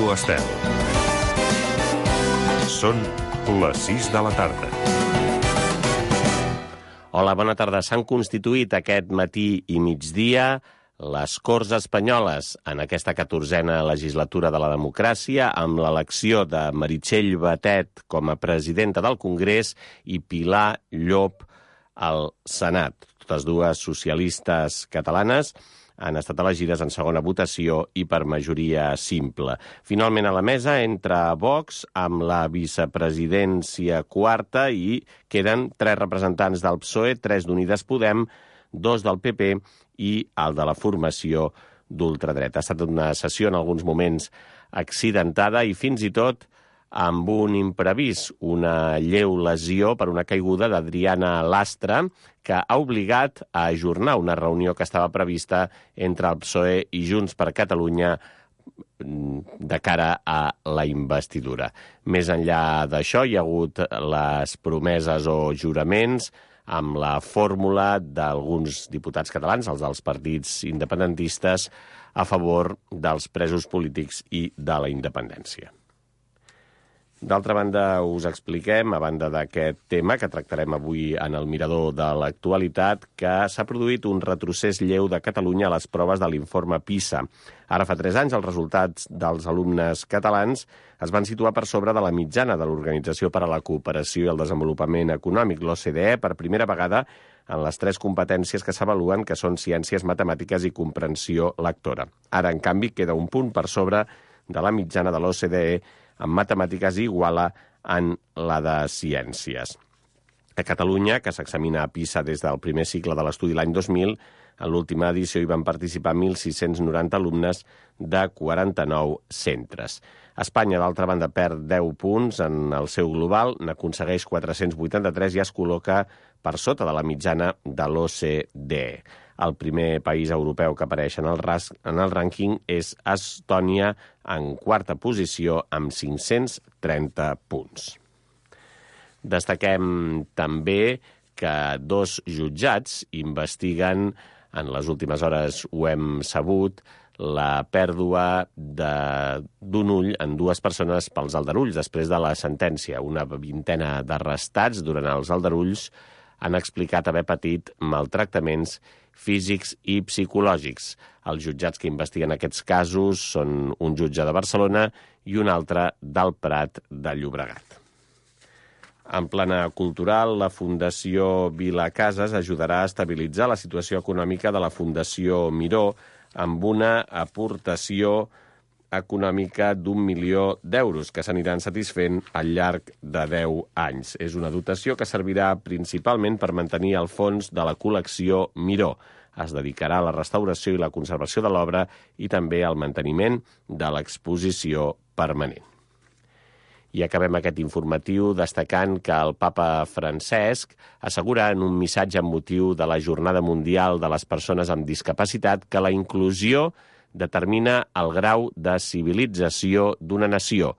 Ràdio Estel. Són les 6 de la tarda. Hola, bona tarda. S'han constituït aquest matí i migdia les Corts Espanyoles en aquesta 14a legislatura de la democràcia, amb l'elecció de Meritxell Batet com a presidenta del Congrés i Pilar Llop al Senat. Totes dues socialistes catalanes han estat elegides en segona votació i per majoria simple. Finalment a la mesa entra Vox amb la vicepresidència quarta i queden 3 representants del PSOE, 3 d'Unides Podem, 2 del PP i el de la formació d'ultradreta. Ha estat una sessió en alguns moments accidentada i fins i tot amb un imprevist, una lleu lesió per una caiguda d'Adriana Lastra, que ha obligat a ajornar una reunió que estava prevista entre el PSOE i Junts per Catalunya de cara a la investidura. Més enllà d'això, hi ha hagut les promeses o juraments amb la fórmula d'alguns diputats catalans, els dels partits independentistes, a favor dels presos polítics i de la independència. D'altra banda, us expliquem, a banda d'aquest tema que tractarem avui en el mirador de l'actualitat, que s'ha produït un retrocés lleu de Catalunya a les proves de l'informe PISA. Ara fa 3 anys els resultats dels alumnes catalans es van situar per sobre de la mitjana de l'Organització per a la Cooperació i el Desenvolupament Econòmic, l'OCDE, per primera vegada en les 3 competències que s'avaluen, que són ciències, matemàtiques i comprensió lectora. Ara, en canvi, queda un punt per sobre de la mitjana de l'OCDE en matemàtiques i iguala en la de ciències. A Catalunya, que s'examina a PISA des del primer cicle de l'estudi l'any 2000, en l'última edició hi van participar 1.690 alumnes de 49 centres. Espanya, d'altra banda, perd 10 punts en el seu global, n'aconsegueix 483 i es col·loca per sota de la mitjana de l'OCDE. El primer país europeu que apareix en el rànquing és Estònia, en 4a posició, amb 530 punts. Destaquem també que 2 jutjats investiguen, en les últimes hores ho hem sabut, la pèrdua d'un ull en 2 persones pels aldarulls després de la sentència. Una 20ena d'arrestats durant els aldarulls han explicat haver patit maltractaments físics i psicològics. Els jutjats que investiguen aquests casos són un jutge de Barcelona i un altre del Prat de Llobregat. En plana cultural, la Fundació Vila Casas ajudarà a estabilitzar la situació econòmica de la Fundació Miró amb una aportació econòmica d'1 milió d'euros que s'aniran satisfent al llarg de 10 anys. És una dotació que servirà principalment per mantenir el fons de la col·lecció Miró. Es dedicarà a la restauració i la conservació de l'obra i també al manteniment de l'exposició permanent. I acabem aquest informatiu destacant que el papa Francesc assegura en un missatge amb motiu de la Jornada Mundial de les Persones amb Discapacitat que la inclusió determina el grau de civilització d'una nació.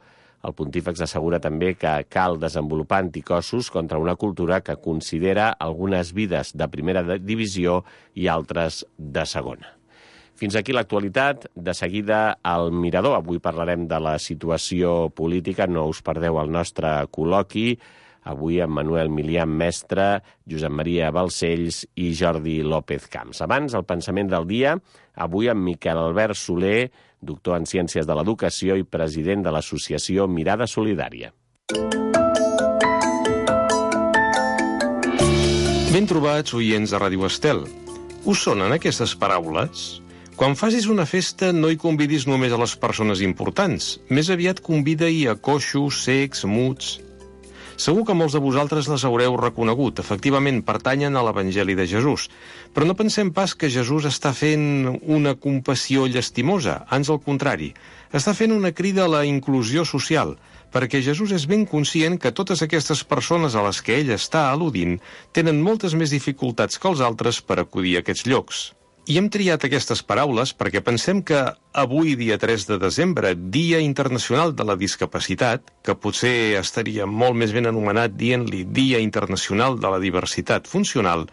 El pontífex assegura també que cal desenvolupar anticossos contra una cultura que considera algunes vides de primera divisió i altres de segona. Fins aquí l'actualitat. De seguida al mirador. Avui parlarem de la situació política. No us perdeu el nostre col·loqui. Avui amb Manuel Milian Mestre, Josep Maria Balcells i Jordi López Camps. Abans, el pensament del dia, avui amb Miquel Albert Soler, doctor en Ciències de l'Educació i president de l'associació Mirada Solidària. Ben trobats, oients de Ràdio Estel. Us sonen aquestes paraules? Quan facis una festa no hi convidis només a les persones importants. Més aviat convida-hi a coixos, cecs, muts. Segur que molts de vosaltres les haureu reconegut. Efectivament, pertanyen a l'Evangeli de Jesús. Però no pensem pas que Jesús està fent una compassió llastimosa. Ans al contrari. Està fent una crida a la inclusió social, perquè Jesús és ben conscient que totes aquestes persones a les que ell està al·ludint tenen moltes més dificultats que els altres per acudir a aquests llocs. I hem triat aquestes paraules perquè pensem que avui, dia 3 de desembre, Dia Internacional de la Discapacitat, que potser estaria molt més ben anomenat dient-li Dia Internacional de la Diversitat Funcional,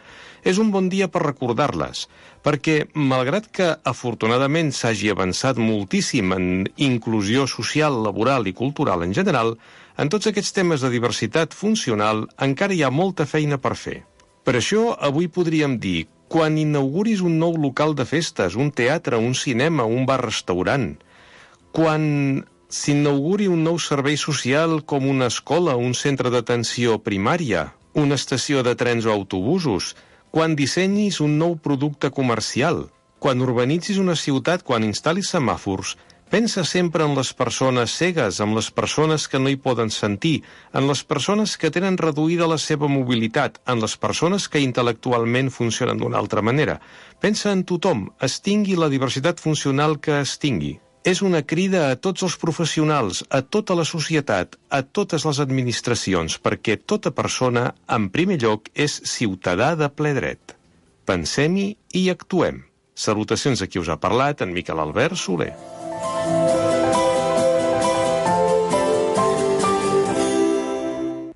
és un bon dia per recordar-les, perquè, malgrat que afortunadament s'hagi avançat moltíssim en inclusió social, laboral i cultural en general, en tots aquests temes de diversitat funcional encara hi ha molta feina per fer. Per això, avui podríem dir, quan inauguris un nou local de festes, un teatre, un cinema, un bar-restaurant, quan s'inauguri un nou servei social com una escola, un centre d'atenció primària, una estació de trens o autobusos, quan dissenyis un nou producte comercial, quan urbanitzis una ciutat, quan instal·lis semàfors, pensa sempre en les persones cegues, en les persones que no hi poden sentir, en les persones que tenen reduïda la seva mobilitat, en les persones que intel·lectualment funcionen d'una altra manera. Pensa en tothom, es tingui la diversitat funcional que es tingui. És una crida a tots els professionals, a tota la societat, a totes les administracions, perquè tota persona, en primer lloc, és ciutadà de ple dret. Pensem-hi i actuem. Salutacions a qui us ha parlat, en Miquel Albert Soler.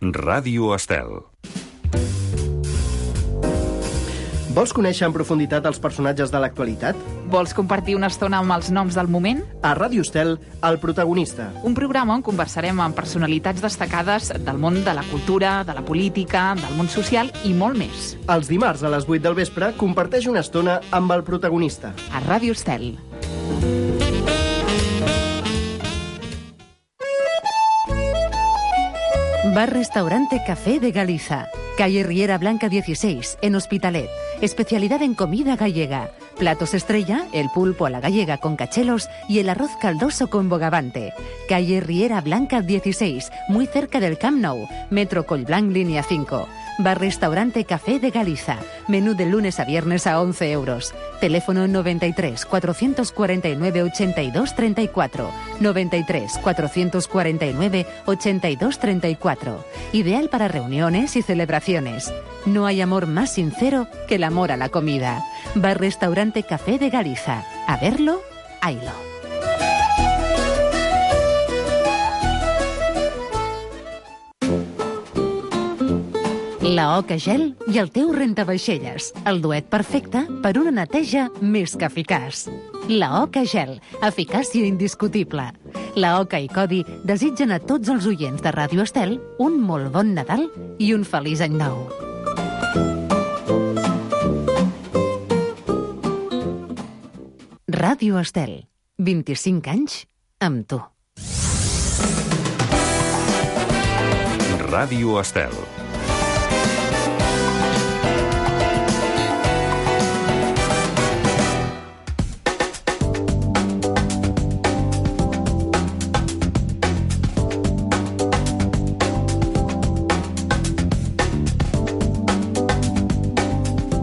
Ràdio Estel. Vols conèixer en profunditat els personatges de l'actualitat? Vols compartir una estona amb els noms del moment? A Ràdio Estel, El protagonista. Un programa on conversarem amb personalitats destacades del món de la cultura, de la política, del món social i molt més. Els dimarts a les 8 del vespre comparteix una estona amb El protagonista. A Ràdio Estel. Bar-restaurante Café de Galiza. Calle Riera Blanca 16, en Hospitalet. Especialidad en comida gallega. Platos estrella, el pulpo a la gallega con cachelos y el arroz caldoso con bogavante. Calle Riera Blanca 16, muy cerca del Camp Nou. Metro Collblanc, línea 5. Bar-restaurante Café de Galiza. Menú de lunes a viernes a 11 euros. Teléfono 93 449 82 34. 93 449 82 34. Ideal para reuniones y celebraciones. No hay amor más sincero que el amor a la comida. Bar-restaurante Café de Galiza. A verlo, haylo. La Oca Gel i el teu rentavaixelles. El duet perfecte per una neteja més que eficaç. La Oca Gel, eficàcia indiscutible. La Oca i Codi desitgen a tots els oients de Ràdio Estel un molt bon Nadal i un feliç any nou. Ràdio Estel, 25 anys amb tu. Ràdio Estel.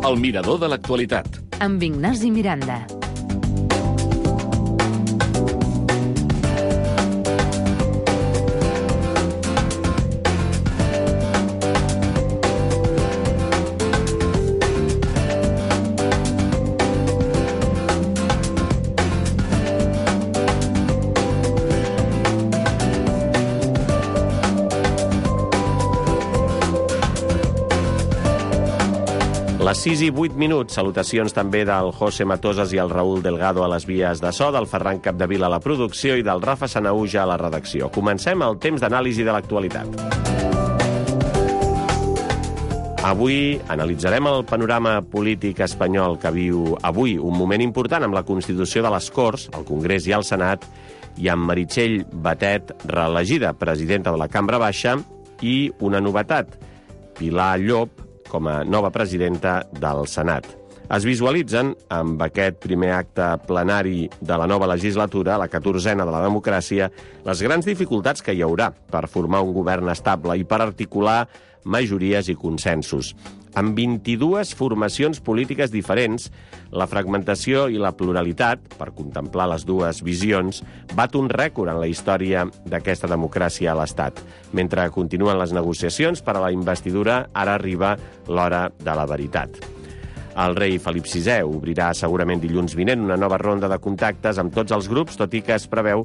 El mirador de l'actualitat. Amb Ignasi Miranda. Les 6 i 8 minuts, salutacions també del José Matosas i el Raúl Delgado a les vies de so, del Ferran Capdevila a la producció i del Rafa Sanaúja a la redacció. Comencem el temps d'anàlisi de l'actualitat. Avui analitzarem el panorama polític espanyol que viu avui, un moment important amb la constitució de les Corts, el Congrés i el Senat, i amb Meritxell Batet, reelegida presidenta de la Cambra Baixa, i una novetat, Pilar Llop, com a nova presidenta del Senat. Es visualitzen, amb aquest primer acte plenari de la nova legislatura, la 14a de la democràcia, les grans dificultats que hi haurà per formar un govern estable i per articular majories i consensos. Amb 22 formacions polítiques diferents, la fragmentació i la pluralitat, per contemplar les dues visions, bat un rècord en la història d'aquesta democràcia a l'Estat. Mentre continuen les negociacions per a la investidura, ara arriba l'hora de la veritat. El rei Felip VI obrirà segurament dilluns vinent una nova ronda de contactes amb tots els grups, tot i que es preveu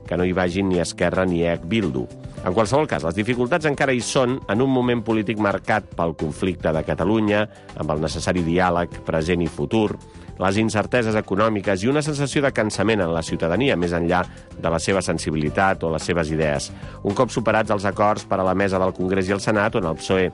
que no hi vagin ni Esquerra ni EH Bildu. En qualsevol cas, les dificultats encara hi són en un moment polític marcat pel conflicte de Catalunya, amb el necessari diàleg present i futur, les incerteses econòmiques i una sensació de cansament en la ciutadania, més enllà de la seva sensibilitat o les seves idees. Un cop superats els acords per a la mesa del Congrés i el Senat, on el PSOE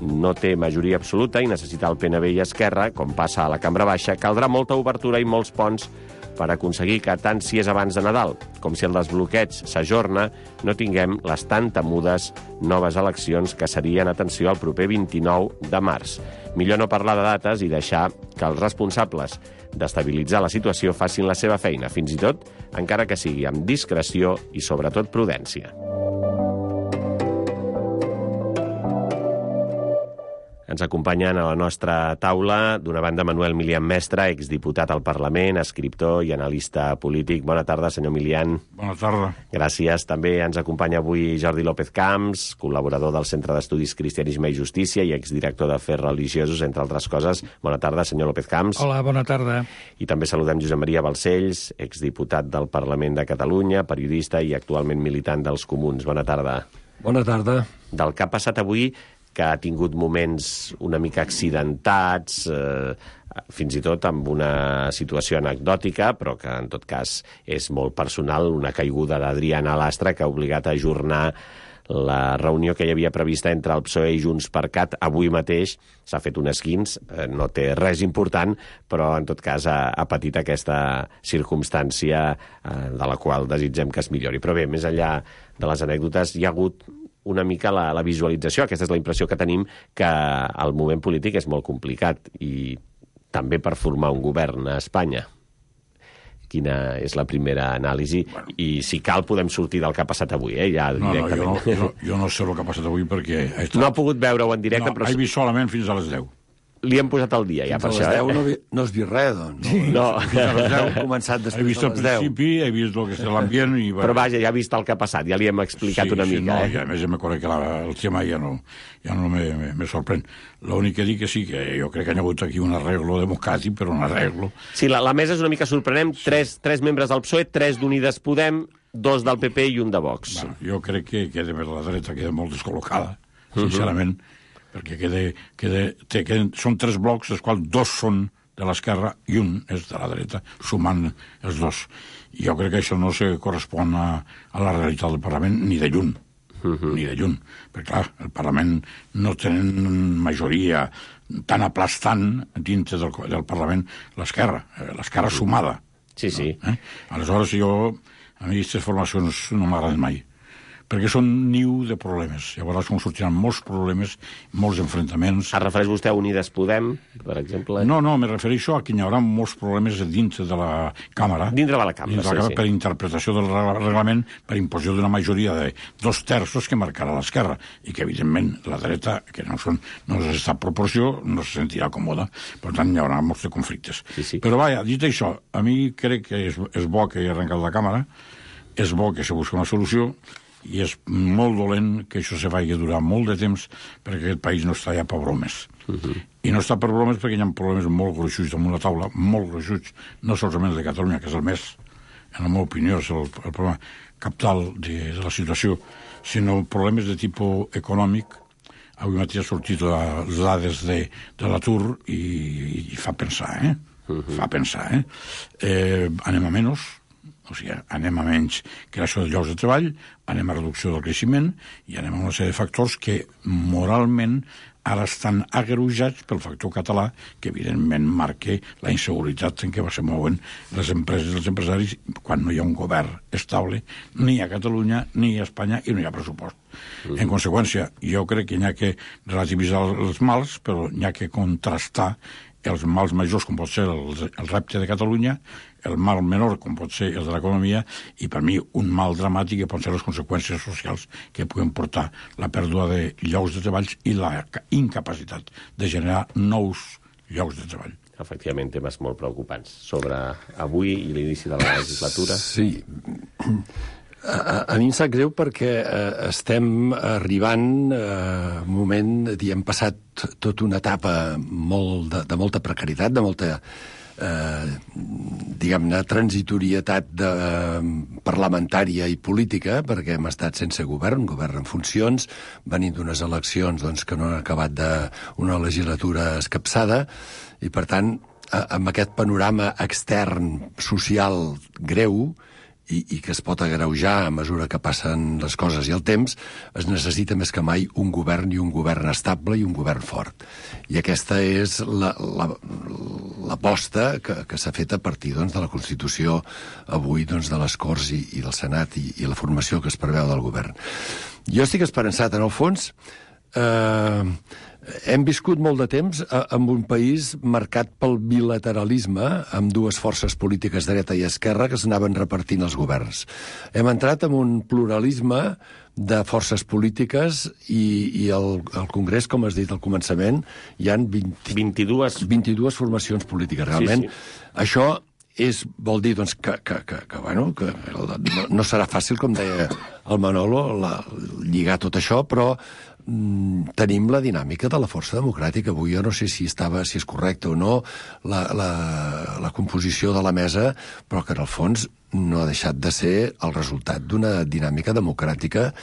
no té majoria absoluta i necessita el PNB i Esquerra, com passa a la Cambra Baixa, caldrà molta obertura i molts ponts per aconseguir que, tant si és abans de Nadal com si el desbloqueig s'ajorna, no tinguem les tan temudes noves eleccions que serien, atenció, el proper 29 de març. Millor no parlar de dates i deixar que els responsables d'estabilitzar la situació facin la seva feina, fins i tot encara que sigui amb discreció i, sobretot, prudència. Ens acompanyen a la nostra taula, d'una banda, Manuel Milian Mestre, exdiputat al Parlament, escriptor i analista polític. Bona tarda, senyor Milian. Bona tarda. Gràcies. També ens acompanya avui Jordi López Camps, col·laborador del Centre d'Estudis Cristianisme i Justícia i exdirector d'Afers Religiosos, entre altres coses. Bona tarda, senyor López Camps. Hola, bona tarda. I també saludem Josep Maria Balcells, exdiputat del Parlament de Catalunya, periodista i actualment militant dels Comuns. Bona tarda. Bona tarda. Del que ha passat avui, que ha tingut moments una mica accidentats, fins i tot amb una situació anecdòtica, però que en tot cas és molt personal, una caiguda d'Adriana Lastra que ha obligat a ajornar la reunió que hi havia prevista entre el PSOE i Junts per Cat. Avui mateix s'ha fet un esquinç, no té res important, però en tot cas ha patit aquesta circumstància de la qual desitgem que es millori. Però bé, més enllà de les anècdotes, hi ha hagut una mica la visualització, aquesta és la impressió que tenim, que el moment polític és molt complicat i també per formar un govern a Espanya. Quina és la primera anàlisi? Bueno. I si cal podem sortir del que ha passat avui, ja directament. Jo no sé el que ha passat avui perquè... No ha pogut veure-ho en directe, però... he vist solament fins a les 10. Li hem posat el dia, ja, per això. Fins a les 10 no has vist res, doncs. No. Fins a les 10. He començat després he vist el principi, he vist el que és l'ambient... I... Però vaja, ja ha vist el que ha passat, ja li hem explicat una mica. No, i a més me conec que el tema ja no me sorprèn. L'únic que dic que sí, que jo crec que hi ha hagut aquí un arreglo democràtic, però un arreglo... Sí, la mesa és una mica sorprenent. Tres membres del PSOE, 3 d'Unides Podem, 2 del PP i 1 de Vox. Bueno, jo crec que la dreta queda molt descol·locada, sincerament, perquè són 3 blocs, dels quals 2 són de l'esquerra i 1 és de la dreta, sumant els 2. Jo crec que això no se correspon a la realitat del Parlament ni de lluny. Ni de lluny. Perquè, clar, el Parlament no tenen majoria tan aplastant dintre del Parlament l'esquerra sumada. Sí, sí. Aleshores, a mi aquestes formacions no m'agraden mai, perquè són niu de problemes. Llavors sortiran molts problemes, molts enfrontaments. Es refereix vostè a Unides Podem, per exemple? No, me refereixo a que hi haurà molts problemes dintre de la Càmera. Dintre de la Càmera, sí. Per interpretació del reglament, per imposició d'una majoria de 2/3 que marcarà l'esquerra, i que, evidentment, la dreta, que no és aquesta proporció, no se sentirà còmoda. Per tant, hi haurà molts de conflictes. Sí. Però, vaja, dit això, a mi crec que és bo que hi arrencat la Càmera, és bo que se busqui una solució, i és molt dolent que això se vagi durar molt de temps, perquè aquest país no està ja per bromes. I no està per bromes perquè hi ha problemes molt gruixuts damunt la taula, molt gruixuts, no solament de Catalunya, que és el més, en la meva opinió, és el problema capital de la situació, sinó problemes de tipus econòmic. Avui mateix ha sortit les dades de l'atur i fa pensar, Fa pensar, anem a menys, o sigui, anem a menys creació de llocs de treball, anem a reducció del creixement i anem a una sèrie de factors que moralment ara estan agreujats pel factor català, que evidentment marca la inseguretat en què se mouen les empreses i els empresaris quan no hi ha un govern estable ni a Catalunya ni a Espanya i no hi ha pressupost. En conseqüència, jo crec que hi ha que relativitzar els mals, però hi ha que contrastar els mals majors, com pot ser el repte de Catalunya, el mal menor, com pot ser el de l'economia, i per mi un mal dramàtic que pot ser les conseqüències socials que puguen portar la pèrdua de llocs de treball i la incapacitat de generar nous llocs de treball. Efectivament, temes molt preocupants sobre avui i l'inici de la legislatura. Sí. A mi em sap greu perquè estem arribant a un moment, hem passat tota una etapa de molta precarietat, de molta, diguem-ne, transitorietat parlamentària i política, perquè hem estat sense govern en funcions, venint d'unes eleccions que no han acabat d'una legislatura escapçada, i per tant, amb aquest panorama extern social greu, i que es pot agreujar a mesura que passen les coses i el temps, es necessita més que mai un govern, i un govern estable i un govern fort. I aquesta és l'aposta que s'ha fet a partir de la Constitució avui de les Corts i del Senat i la formació que es preveu del govern. Jo estic esperançat, en el fons. Hem viscut molt de temps en un país marcat pel bilateralisme, amb dues forces polítiques, dreta i esquerra, que s'anaven repartint els governs. Hem entrat en un pluralisme de forces polítiques i al Congrés, com has dit al començament, hi ha 22 formacions polítiques. Realment, això vol dir que no serà fàcil, com deia el Manolo, lligar tot això, però tenim la dinàmica de la força democràtica. Avui jo no sé si és correcte o no la composició de la mesa, però que en el fons no ha deixat de ser el resultat d'una dinàmica democràtica.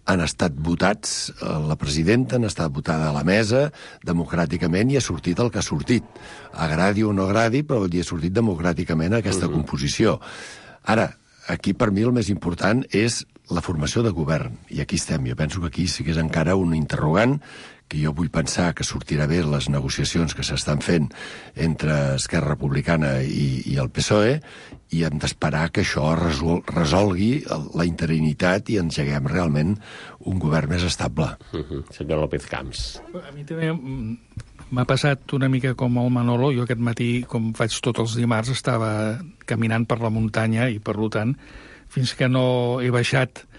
Han estat votats la presidenta, han estat votada a la mesa democràticament, i ha sortit el que ha sortit. Agradi o no agradi, però ha sortit democràticament aquesta composició. Ara, aquí per mi el més important és la formació de govern, i aquí estem. Jo penso que aquí sí que és encara un interrogant, que jo vull pensar que sortirà bé les negociacions que s'estan fent entre Esquerra Republicana i el PSOE, i hem d'esperar que això resolgui la interinitat i engeguem realment un govern més estable. Senyor López Camps. A mi també m'ha passat una mica com el Manolo. Jo aquest matí, com faig tots els dimarts, estava caminant per la muntanya, i per tant, fins que no he baixat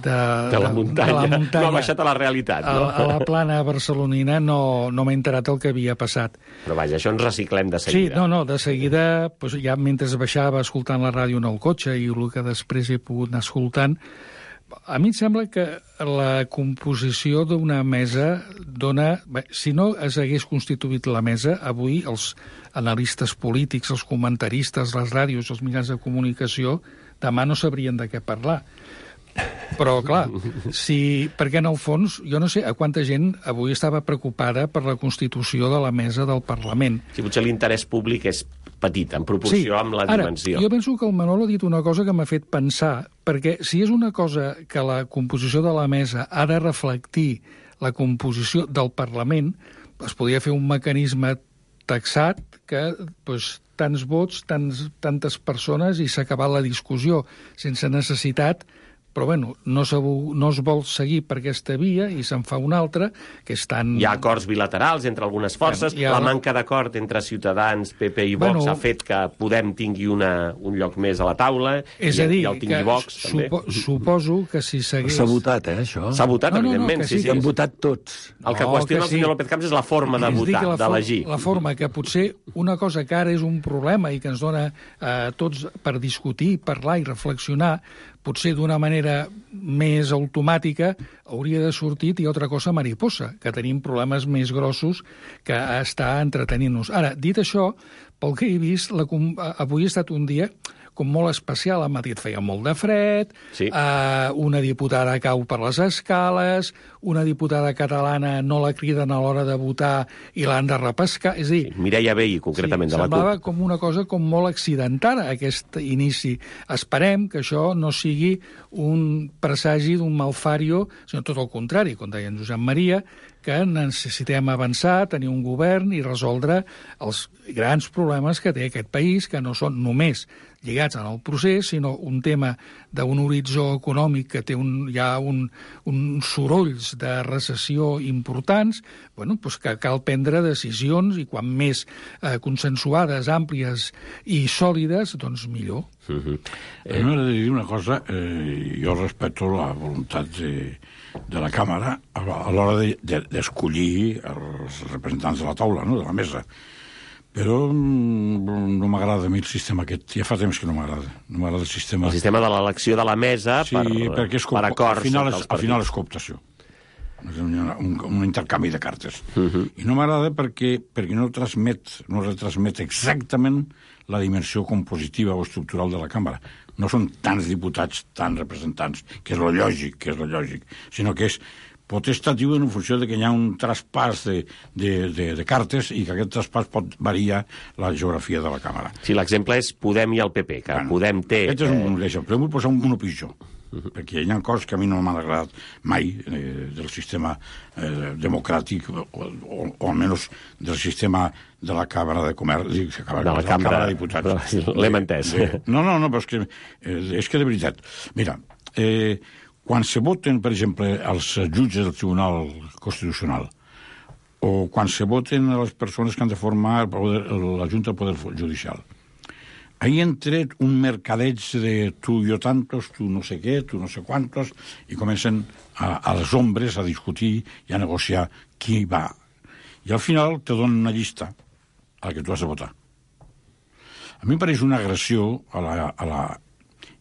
de la muntanya, no ha baixat a la realitat, no? A la plana barcelonina, no m'he enterat el que havia passat. Però vaja, això ens reciclem de seguida. Sí, de seguida, ja mentre baixava escoltant la ràdio en el cotxe, i el que després he pogut anar escoltant, a mi em sembla que la composició d'una mesa dona... Si no es hagués constituït la mesa, avui els analistes polítics, els comentaristes, les ràdios, els mitjans de comunicació, demà no sabrien de què parlar. Però, clar, perquè en el fons, jo no sé a quanta gent avui estava preocupada per la constitució de la mesa del Parlament. Sí, potser l'interès públic és petit, en proporció amb la dimensió. Ara, jo penso que el Manolo ha dit una cosa que m'ha fet pensar, perquè si és una cosa que la composició de la mesa ha de reflectir la composició del Parlament, es podria fer un mecanisme taxat que tants vots, tantes persones, i s'ha acabat la discussió sense necessitat. Però, no es vol seguir per aquesta via, i se'n fa una altra, que és tan... Hi ha acords bilaterals entre algunes forces, la manca d'acord entre Ciutadans, PP i Vox ha fet que Podem tingui un lloc més a la taula, i el tingui Vox, també. Suposo que si s'hagués... S'ha votat, això? S'ha votat, evidentment, sí. Han votat tots. El que qüestiona el senyor López Camps és la forma de votar, d'elegir. La forma, que potser una cosa que ara és un problema i que ens dona tots per discutir, parlar i reflexionar, potser d'una manera més automàtica, hauria de sortir i altra cosa mariposa, que tenim problemes més grossos que està entretenint-nos. Ara, dit això, pel que he vist, avui ha estat un dia com molt especial. A Madrid feia molt de fred, una diputada cau per les escales, una diputada catalana no la criden a l'hora de votar i l'han de repescar. És a dir, Mireia Vehí, concretament, de la CUP. Semblava com una cosa com molt accidentada, aquest inici. Esperem que això no sigui un presagi d'un malfario, sinó tot el contrari, com deia en Josep Maria, que necessitem avançar, tenir un govern i resoldre els grans problemes que té aquest país, que no són només lligats en el procés, sinó un tema d'un horitzó econòmic que té hi ha uns sorolls de recessió importants, que cal prendre decisions, i quan més consensuades, àmplies i sòlides, doncs millor. A mi m'agradaria dir una cosa. Jo respecto la voluntat de la Càmera a l'hora d'escollir els representants de la taula, no?, de la mesa. Però no m'agrada a mi el sistema aquest. Ja fa temps que no m'agrada. No m'agrada el sistema... El sistema de l'elecció de la mesa per acords. Al final és cooptació. És un intercanvi de cartes. I no m'agrada perquè no retransmet exactament la dimensió compositiva o estructural de la càmera. No són tants diputats, tants representants, que és lo lògic, sinó que és potestatiu en funció de que hi ha un traspàs de cartes i que aquest traspàs pot variar la geografia de la càmera. Sí, l'exemple és Podem i el PP, que Podem té... Aquest és un exemple, però vull posar un pitjor, perquè hi ha coses que a mi no m'han agradat mai del sistema democràtic o almenys del sistema de la Càmera de Comerç, de la Càmera de Diputats. L'hem entès. No, però és que de veritat, mira, quan se voten, per exemple, els jutges del Tribunal Constitucional o quan se voten les persones que han de formar la Junta del Poder Judicial, ahí han tret un mercadeig de tu yo tantos, tu no sé què, tu no sé quantos, i comencen a les ombres a discutir i a negociar qui va. I al final te donen una llista a la que tu has de votar. A mi em pareix una agressió a la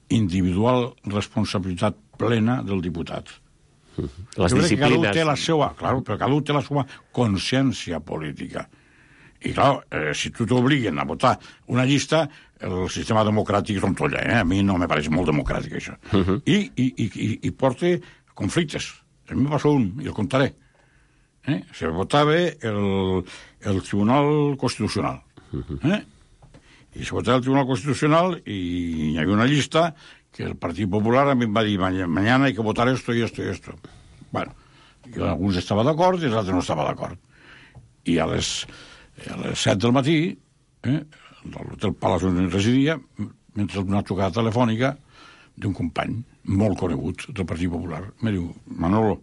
individual responsabilitat plena del diputat. Les disciplines... Però cada un té la seva consciència política. I, clar, si tu t'obliguen a votar una llista, el sistema democràtic rontolla, A mi no me pareix molt democràtic, això. I porta conflictes. A mi me passa un, i el contaré. Se votava el Tribunal Constitucional. I se votava el Tribunal Constitucional i hi havia una llista que el Partit Popular a mi em va dir mañana hay que votar esto y esto y esto. Bueno, alguns estava d'acord i els altres no estava d'acord. I a les 7 del matí, l'hotel Palace on residia, mentre una trucada telefònica d'un company molt conegut del Partit Popular, me diu, Manolo,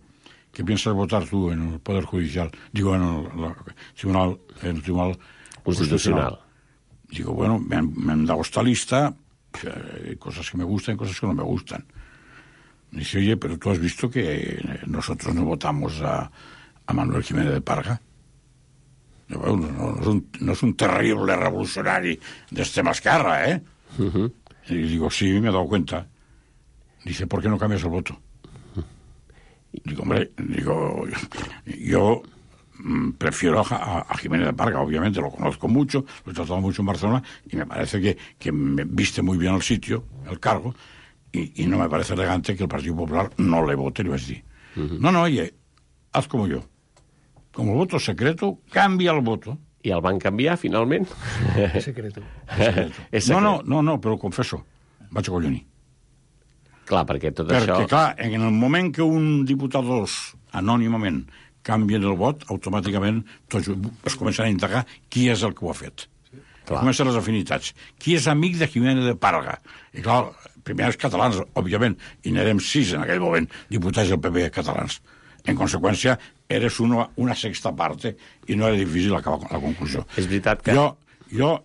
¿qué piensas votar tú en el Poder Judicial? Digo, en el Tribunal Constitucional. Digo, bueno, me han dado esta lista, hay cosas que me gustan y cosas que no me gustan. Dice, oye, pero tú has visto que nosotros no votamos a Manuel Jiménez de Parga. No es un terrible revolucionari de extrema esquerra, ¿eh? Y digo, sí, me he dado cuenta. Dice, ¿por qué no cambias el voto? Digo, hombre, yo prefiero a Jiménez de Parga, obviamente, lo conozco mucho, lo he tratado mucho en Barcelona, y me parece que me viste muy bien el sitio, el cargo, y no me parece elegante que el Partido Popular no le vote, le vas a decir. No, oye, haz como yo. Como el voto secreto, cambia el voto. I el van canviar, finalment? Secreto. No, però ho confesso, vaig acollonir. Clar, perquè tot això... Perquè, clar, en el moment que un diputat anònimament canvien el vot, automàticament tots es comencen a indagar qui és el que ho ha fet. Comencen les afinitats. Qui és amic de Jiménez de Parga? I clar, primer els catalans, òbviament, i n'érem 6 en aquell moment, diputats del PP catalans. En conseqüència, eres una sexta parte i no era difícil acabar la conclusió. És veritat que... Jo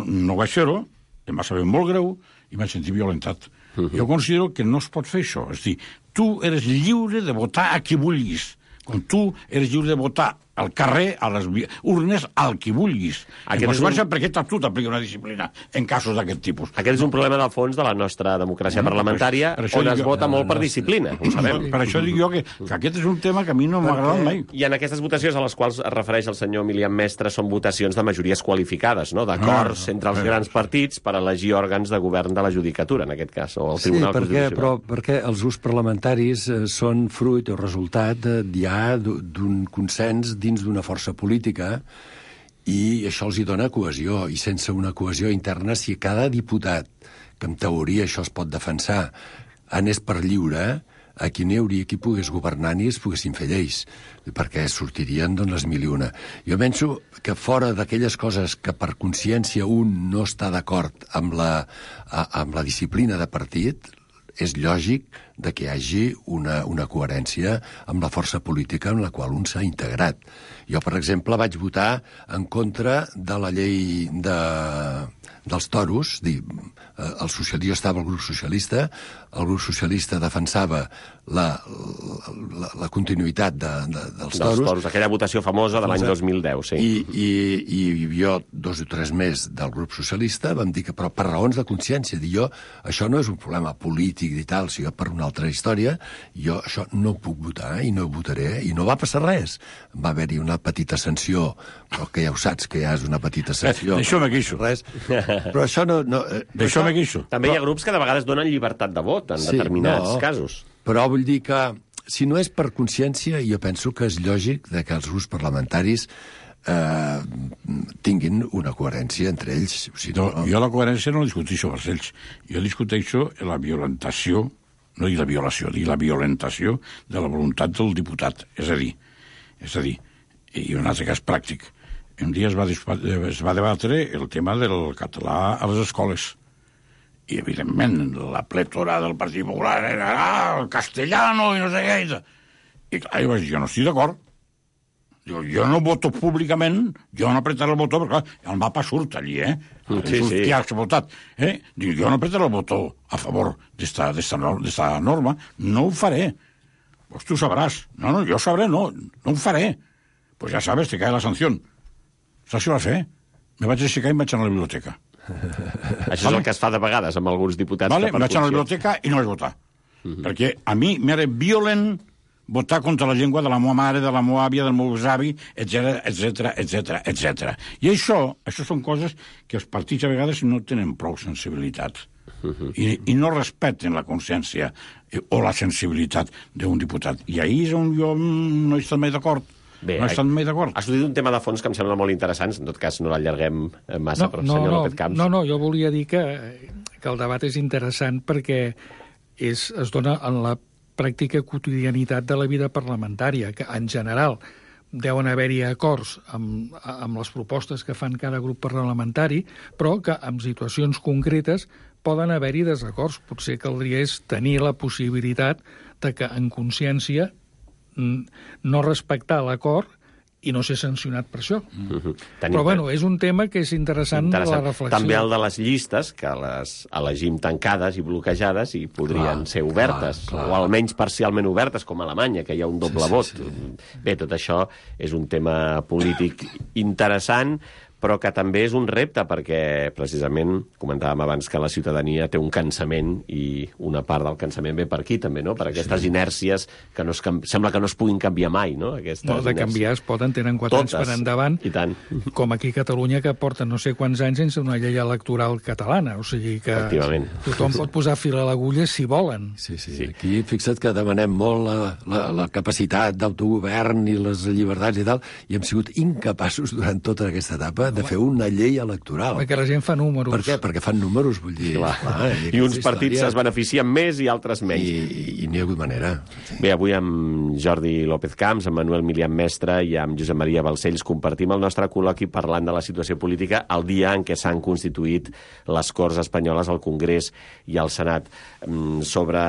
no vaig fer-ho, em va saber molt greu i m'he sentit violentat. Jo considero que no es pot fer això. És a dir, tu eres lliure de votar a qui vulguis. Com tu eres lliure de votar al carrer, a les urnes, al qui vulguis. En conseqüència, per què tu t'aplica una disciplina en casos d'aquest tipus? Aquest és un problema del fons de la nostra democràcia parlamentària, on es vota molt per disciplina, ho sabem. Per això dic jo que aquest és un tema que a mi no m'ha agradat mai. I en aquestes votacions a les quals es refereix el senyor Milian Mestre són votacions de majories qualificades, no? D'acords entre els grans partits per elegir òrgans de govern de la judicatura, en aquest cas, o el Tribunal Constitucional. Però perquè els grups parlamentaris són fruit o resultat ja d'un consens dins d'una força política i això els hi dona cohesió. I sense una cohesió interna, si cada diputat, que en teoria això es pot defensar, anés per lliure, aquí no hi hauria qui pogués governar ni es poguessin fer lleis, perquè sortirien les mil i una. Jo penso que fora d'aquelles coses que per consciència un no està d'acord amb la disciplina de partit, és lògic de que hi hagi una coherència amb la força política en la qual un s'ha integrat. Jo, per exemple, vaig votar en contra de la llei dels toros. Jo estava al grup socialista, el grup socialista defensava la continuïtat dels toros. Aquella votació famosa de l'any 2010, sí. I jo, 2 o 3 més del grup socialista, vam dir que, però per raons de consciència, això no és un problema polític i tal, sinó per una altra història, jo això no puc votar i no ho votaré, i no va passar res. Va haver-hi una petita sanció, però que ja ho saps que ja és una petita sanció. D'això me queixo. Però això no... D'això me queixo. També hi ha grups que de vegades donen llibertat de vot en determinats casos. Però vull dir que, si no és per consciència, jo penso que és lògic que els grups parlamentaris tinguin una coherència entre ells. Jo la coherència no la discuteixo per ells. Jo discuteixo la violentació, no dic la violació, dic la violentació de la voluntat del diputat. És a dir, i un altre cas pràctic. Un dia es va debatre el tema del català a les escoles. I, evidentment, la plètora del Partit Popular era el castellano i no sé què. I clar, jo no estic d'acord. Jo no voto públicament, jo no apretaré el botó, perquè clar, el mapa surt allí, Sí. Qui ha votat. Dic, jo no apretaré el botó a favor d'esta norma, no ho faré. Pues tu sabràs. No, jo sabré, no ho faré. Pues ja sabes, te cae la sanció. Saps què vas fer? Me vaig aixecar i em vaig anar a la biblioteca. Això és el que es fa de vegades amb alguns diputats. Vale, em vaig anar a la biblioteca i no vaig votar. Perquè a mi m'era violent votar contra la llengua de la meva mare, de la meva àvia, del meu avi, etc. I això són coses que els partits a vegades no tenen prou sensibilitat. I no respecten la consciència o la sensibilitat d'un diputat. I ahir és on jo no he estat mai d'acord. Bé, no estan mai d'acord. Has dit un tema de fons que em sembla molt interessant, en tot cas no l'allarguem massa, però senyor López Camps. No, jo volia dir que el debat és interessant perquè es dona en la pràctica quotidianitat de la vida parlamentària, que en general deuen haver-hi acords amb les propostes que fan cada grup parlamentari, però que en situacions concretes poden haver-hi desacords. Potser caldria tenir la possibilitat de que en consciència no respectar l'acord i no ser sancionat per això. Però, bueno, és un tema que és interessant la reflexió. També el de les llistes, que les elegim tancades i bloquejades i podrien ser obertes, o almenys parcialment obertes, com a Alemanya, que hi ha un doble vot. Bé, tot això és un tema polític interessant, però que també és un repte, perquè precisament comentàvem abans que la ciutadania té un cansament i una part del cansament ve per aquí també, no? Per aquestes inèrcies que sembla que no es puguin canviar mai, no? No, de canviar es poden, tenen 4 anys per endavant, i tant. Com aquí a Catalunya, que porten no sé quants anys sense una llei electoral catalana, o sigui que tothom pot posar fil a l'agulla si volen. Sí. Aquí fixa't que demanem molt la capacitat d'autogovern i les llibertats i tal, i hem sigut incapaços durant tota aquesta etapa de fer una llei electoral. Perquè la gent fa números. Per què? Perquè fan números, vull dir. I uns partits es beneficien més i altres menys. I n'hi ha hagut manera. Bé, avui amb Jordi López Camps, amb Manuel Milian Mestre i amb Josep Maria Balcells compartim el nostre col·loqui parlant de la situació política el dia en què s'han constituït les Corts Espanyoles, el Congrés i el Senat. Sobre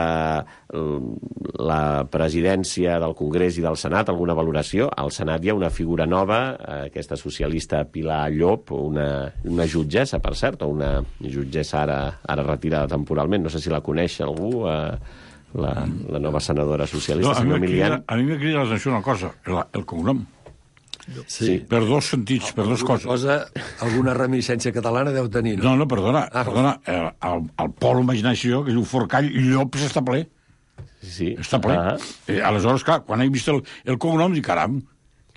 la presidència del Congrés i del Senat, alguna valoració? Al Senat hi ha una figura nova, aquesta socialista Pilar Llop, una jutgessa, per cert, o una jutgessa ara retirada temporalment, no sé si la coneix algú, la nova senadora socialista, senyor Milian. A mi m'ha cridat l'atenció una cosa, el cognom. Sí. Per dos sentits, per dues coses. Alguna reminiscència catalana deu tenir, no? No, perdona. El pol imaginació, que és un Forcall, Llops està ple. Sí. Està ple. Aleshores, clar, quan he vist el cognom, dic, caram,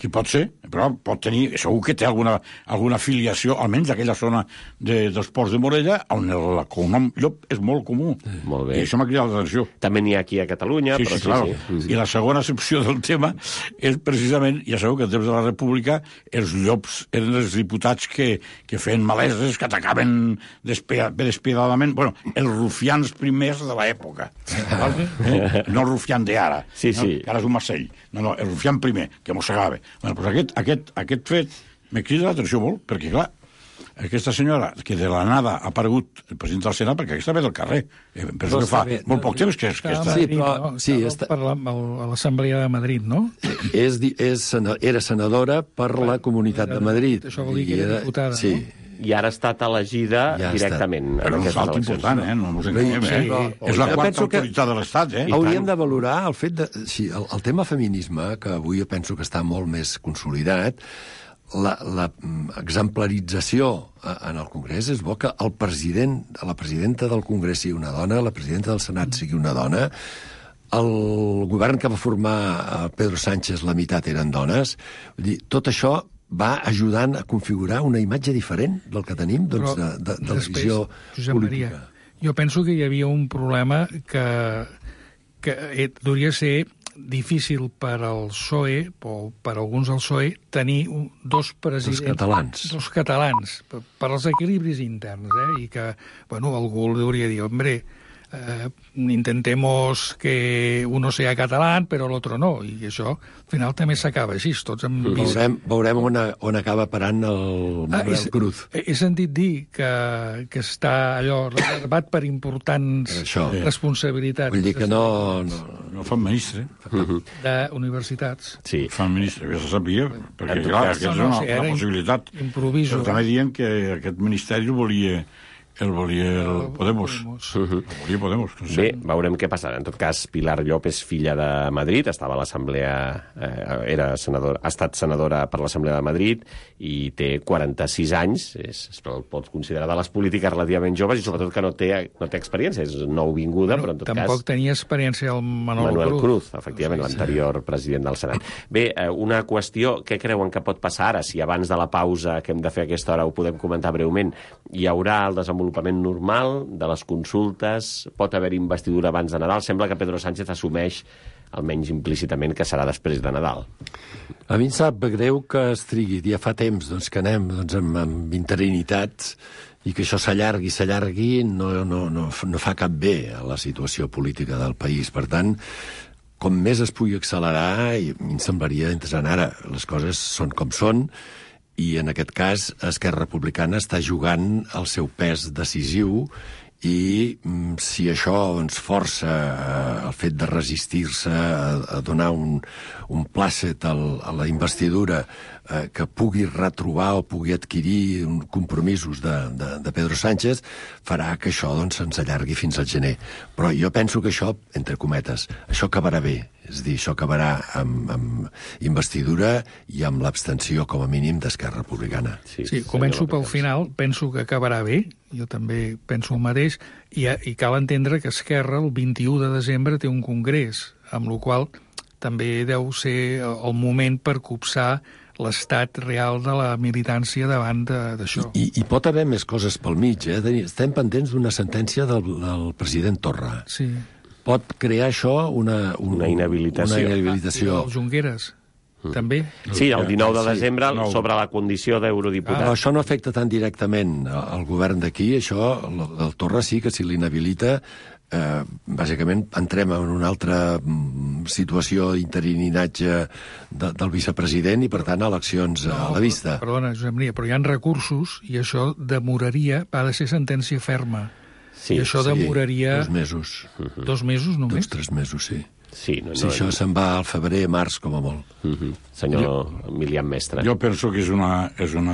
qui pot ser? Però pot tenir, segur que té alguna filiació, almenys aquella zona dels Ports de Morella, on el cognom Llop és molt comú. Molt bé. I això m'ha cridat l'atenció. També n'hi ha aquí a Catalunya, sí, però sí. I la segona excepció del tema és precisament, ja sabeu que en temps de la República els llops eren els diputats que feien maleses, que atacaven despiadadament, bueno, els rufians primers de l'època. No el rufian d'ara, sí. Que ara és un Marcell. No, el rufian primer, que mossegava. Bueno, doncs aquest fet me crida l'atenció molt, perquè, clar, aquesta senyora, que de la nada ha aparegut el president del Senat, perquè aquesta ve del carrer. Penso que fa molt poc temps que està... Sí, però a l'Assemblea de Madrid, no? Era senadora per la Comunitat de Madrid. Això vol dir que era diputada, no? I ara ha estat elegida directament. Però és un salt important, no ens enganyem, És la quarta autoritat de l'Estat, Hauríem de valorar el fet de... Sí, el tema feminisme, que avui jo penso que està molt més consolidat, la exemplarització en el Congrés és bo que la presidenta del Congrés sigui una dona, la presidenta del Senat sigui una dona, el govern que va formar Pedro Sánchez, la meitat eren dones. Vull dir, tot això va ajudant a configurar una imatge diferent del que tenim, doncs, de la visió Josep política. Maria, jo penso que hi havia un problema que hauria ser difícil per al PSOE, o per alguns del PSOE, tenir dos presidents... Dos catalans, per als equilibris interns, i que, algú hauria de dir, hombre, intentemos que uno sea catalán, pero el otro no, i això al final també s'acaba així, tots hem vist... Veurem on acaba parant el Manuel Cruz. He sentit dir que està allò reservat per importants responsabilitats. Vull dir que no fan ministre. D'universitats. Sí. Fan ministre, ja se sabia, perquè clar, aquesta és una possibilitat. Improviso. Però també diuen que aquest ministeri el volia el Podemos. El volia Podemos. No sé. Bé, veurem què passarà. En tot cas, Pilar Llop és filla de Madrid, estava a l'Assemblea, ha estat senadora per l'Assemblea de Madrid i té 46 anys, es pot considerar de les polítiques relativament joves i sobretot que no té experiència, és nouvinguda, però en tot cas... Tampoc tenia experiència el Manuel Cruz, efectivament, l'anterior president del Senat. Bé, una qüestió, què creuen que pot passar ara? Si abans de la pausa que hem de fer a aquesta hora ho podem comentar breument, hi haurà el desenvolupament normal de les consultes, pot haver investidura abans de Nadal. Sembla que Pedro Sánchez assumeix, almenys implícitament, que serà després de Nadal. A mi em sap greu que es trigui. Ja fa temps que anem amb interinitats i que això s'allargui no fa cap bé a la situació política del país. Per tant, com més es pugui accelerar, i a mi em semblaria interessant. Ara, les coses són com són, i en aquest cas Esquerra Republicana està jugant el seu pes decisiu i si això ens força el fet de resistir-se a donar un plàcet a la investidura que pugui retrobar o pugui adquirir compromisos de Pedro Sánchez, farà que això se'ns allargui fins al gener. Però jo penso que això, entre cometes, això acabarà bé. És a dir, això acabarà amb investidura i amb l'abstenció, com a mínim, d'Esquerra Republicana. Sí, començo pel final, penso que acabarà bé, jo també penso el mateix, i cal entendre que Esquerra el 21 de desembre té un congrés, amb la qual també deu ser el moment per copsar l'estat real de la militància davant d'això. I pot haver més coses pel mig, Estem pendents d'una sentència del president Torra. Sí. Pot crear això una inhabilitació. I el Junqueras, també. Sí, el 19 de desembre, sobre la condició d'eurodiputat. Però això no afecta tan directament al govern d'aquí, això, el Torra sí que si l'inhabilita, bàsicament entrem en una altra situació d'interinatge del vicepresident i, per tant, eleccions a la vista. Perdona, Josep Maria, però hi ha recursos i això demoraria, ha de ser sentència ferma. Sí, i això demoraria... 2 mesos. 2 mesos només? 2-3 mesos, sí. Sí, això se'n va al febrer, març, com a molt. Senyor Milian Mestre. Jo penso que és una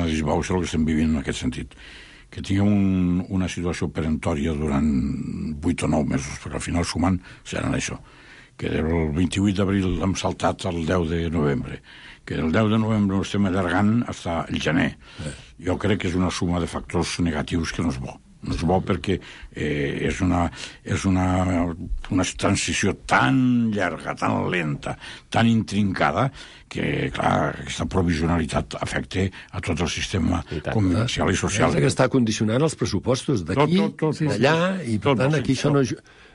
disbauxa el que estem vivint en aquest sentit. Que tinguem una situació perentòria durant 8 o 9 mesos, perquè al final sumant seran això. Que el 28 d'abril hem saltat al 10 de novembre, que el 10 de novembre ho estem allargant fins al gener. Jo crec que és una suma de factors negatius que no és bo. No és bo perquè és una transició tan llarga, tan lenta, tan intrincada, que, clar, aquesta provisionalitat afecta a tot el sistema comercial i social. És que està condicionant els pressupostos d'aquí, d'allà, i per tant aquí això no...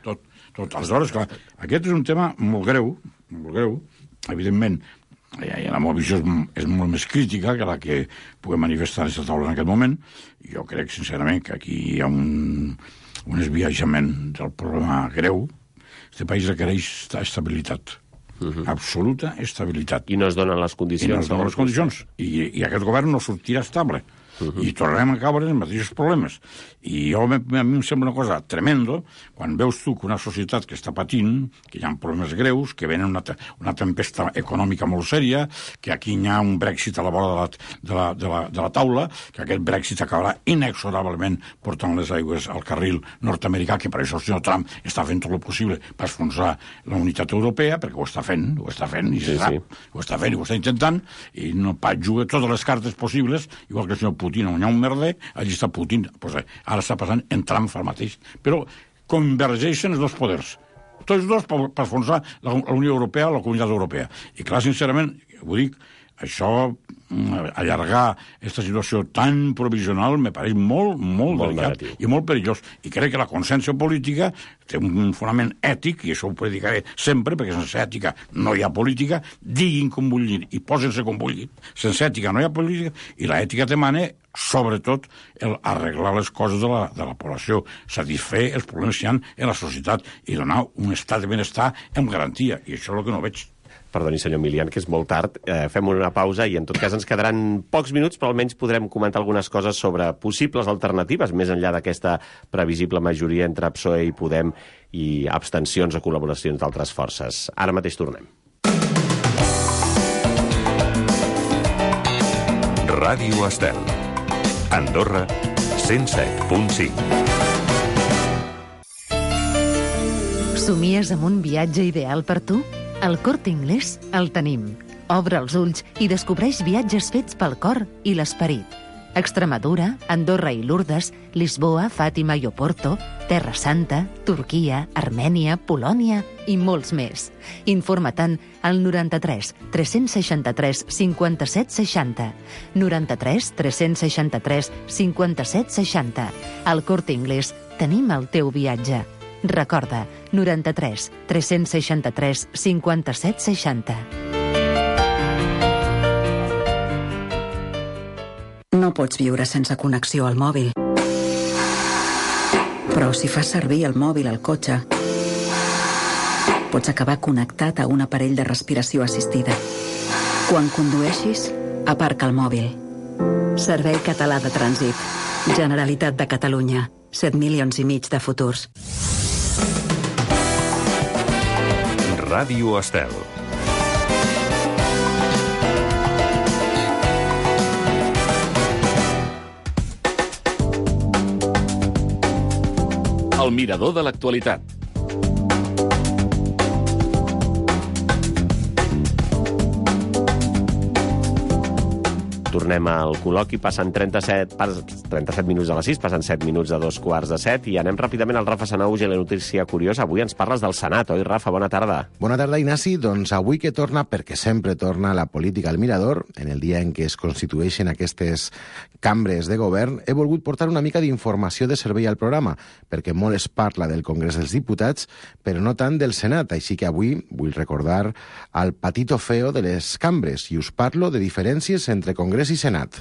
Tot. Aleshores, clar, aquest és un tema molt greu, evidentment. La meva visió és molt més crítica que la que puguem manifestar a aquesta taula en aquest moment. Jo crec, sincerament, que aquí hi ha un esbiaixament del problema greu. Aquest país requereix estabilitat. Absoluta estabilitat. I no es donen les condicions. I aquest govern no sortirà estable. I tornem a caure en els mateixos problemes. I a mi em sembla una cosa tremendo quan veus tu que una societat que està patint, que hi ha problemes greus, que venen una tempesta econòmica molt sèria, que aquí hi ha un Brexit a la vora de la taula, que aquest Brexit acabarà inexorablement portant les aigües al carril nord-americà, que per això el senyor Trump està fent tot el possible per esfonsar la unitat europea, perquè ho està fent, i se sap, ho està fent i ho està intentant, i no pas juga totes les cartes possibles, igual que el senyor Putin, on hi ha un merder, allí està Putin. Pues ara està passant en Trump fa mateix. Però convergeixen els dos poders. Tots dos per esfonsar la Unió Europea, la Comunitat Europea. I clar, sincerament, ho dic, això, allargar aquesta situació tan provisional me pareix molt delicat i molt perillós. I crec que la consciència política té un fonament ètic, i això ho predicaré sempre, perquè sense ètica no hi ha política, diguin com vulguin i posen-se com vulguin. Sense ètica no hi ha política, i l'ètica demana, sobretot, arreglar les coses de la població, satisfer els problemes que hi ha en la societat i donar un estat de benestar amb garantia. I això és el que no veig. Perdoni, senyor Milian, que és molt tard. Fem una pausa i en tot cas ens quedaran pocs minuts, però almenys podrem comentar algunes coses sobre possibles alternatives, més enllà d'aquesta previsible majoria entre PSOE i Podem i abstencions o col·laboracions d'altres forces. Ara mateix tornem. Ràdio Estel. Andorra, 107.5. Somies amb un viatge ideal per tu? Al Corte Inglés el tenim. Obre els ulls i descobreix viatges fets pel cor i l'esperit. Extremadura, Andorra i Lourdes, Lisboa, Fàtima i Oporto, Terra Santa, Turquia, Armènia, Polònia i molts més. Informa-te'n al 93 363 57 60. 93 363 57 60. Al Corte Inglés tenim el teu viatge. Recorda, 93 363 57 60. No pots viure sense connexió al mòbil. Però si fas servir el mòbil al cotxe, pots acabar connectat a un aparell de respiració assistida. Quan condueixis, aparca el mòbil. Servei Català de Trànsit. Generalitat de Catalunya. 7 milions i mig de futurs. Ràdio Estel. El mirador de l'actualitat. Tornem al col·loqui, passen 37 minuts de les 6, passen 7 minuts de 2:45 i anem ràpidament al Rafa Sanauge i la notícia curiosa. Avui ens parles del Senat, oi, Rafa? Bona tarda. Bona tarda, Ignasi. Doncs avui que torna, perquè sempre torna la política al mirador, en el dia en què es constitueixen aquestes cambres de govern, he volgut portar una mica d'informació de servei al programa, perquè molt es parla del Congrés dels Diputats, però no tant del Senat. Així que avui vull recordar el patito feo de les cambres i us parlo de diferències entre Congrés i Senat.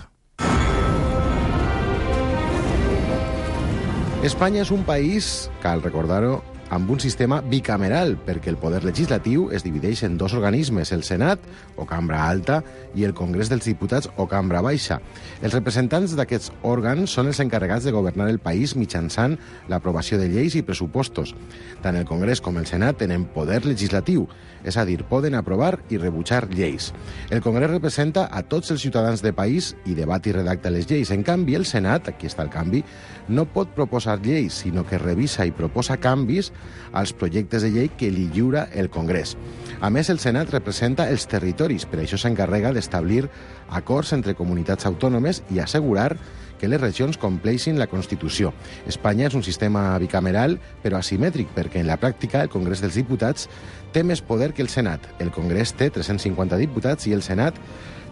Espanya és un país, cal recordar-ho, amb un sistema bicameral, perquè el poder legislatiu es divideix en dos organismes, el Senat, o cambra alta, i el Congrés dels Diputats, o cambra baixa. Els representants d'aquests òrgans són els encarregats de governar el país mitjançant l'aprovació de lleis i pressupostos. Tant el Congrés com el Senat tenen poder legislatiu, és a dir, poden aprovar i rebutjar lleis. El Congrés representa a tots els ciutadans del país i debat i redacta les lleis. En canvi, el Senat, aquí està el canvi, no pot proposar lleis, sinó que revisa i proposa canvis als projectes de llei que li lliura el Congrés. A més, el Senat representa els territoris, per això s'encarrega d'establir acords entre comunitats autònomes i assegurar que les regions compleixin la Constitució. Espanya és un sistema bicameral, però asimètric, perquè en la pràctica el Congrés dels Diputats té més poder que el Senat. El Congrés té 350 diputats i el Senat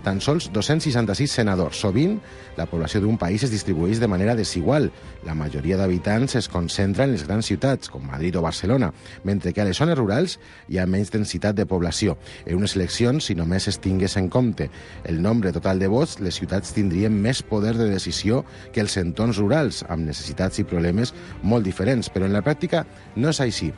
tan sols 266 senadors. Sovint, la població d'un país es distribueix de manera desigual. La majoria d'habitants es concentra en les grans ciutats, com Madrid o Barcelona, mentre que a les zones rurals hi ha menys densitat de població. En unes eleccions, si només es tingués en compte el nombre total de vots, les ciutats tindrien més poder de decisió que els entorns rurals, amb necessitats i problemes molt diferents. Però en la pràctica no és així.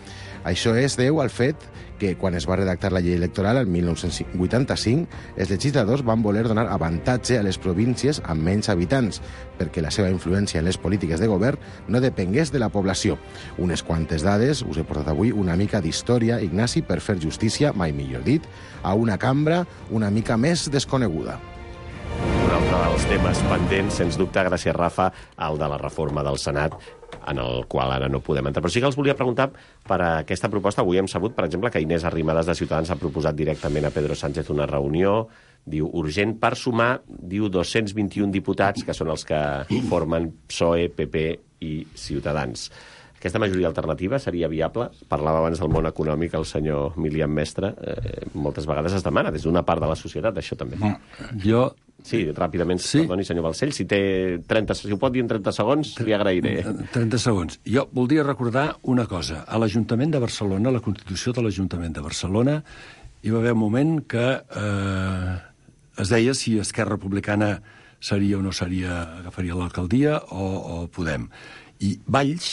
Això es deu al fet que quan es va redactar la llei electoral, el 1985, els legisladors van van voler donar avantatge a les províncies amb menys habitants, perquè la seva influència en les polítiques de govern no depengués de la població. Unes quantes dades, us he portat avui una mica d'història, Ignasi, per fer justícia, mai millor dit, a una cambra una mica més desconeguda. Un altre dels temes pendents, sens dubte, gràcies, Rafa, el de la reforma del Senat, en el qual ara no podem entrar. Però sí que els volia preguntar per aquesta proposta. Avui hem sabut, per exemple, que Inés Arrimadas de Ciutadans ha proposat directament a Pedro Sánchez una reunió, diu, urgent per sumar, diu, 221 diputats, que són els que formen PSOE, PP i Ciutadans. Aquesta majoria alternativa seria viable? Parlava abans del món econòmic el senyor Milian Mestre. Moltes vegades es demana des d'una part de la societat, això també. Jo... Sí, ràpidament, perdoni, senyor Balcells, si ho pot dir en 30 segons, li agrairé. 30 segons. Jo voldria recordar una cosa. A l'Ajuntament de Barcelona, la Constitució de l'Ajuntament de Barcelona, hi va haver un moment que es deia si Esquerra Republicana seria o no seria, agafaria l'alcaldia o Podem. I Valls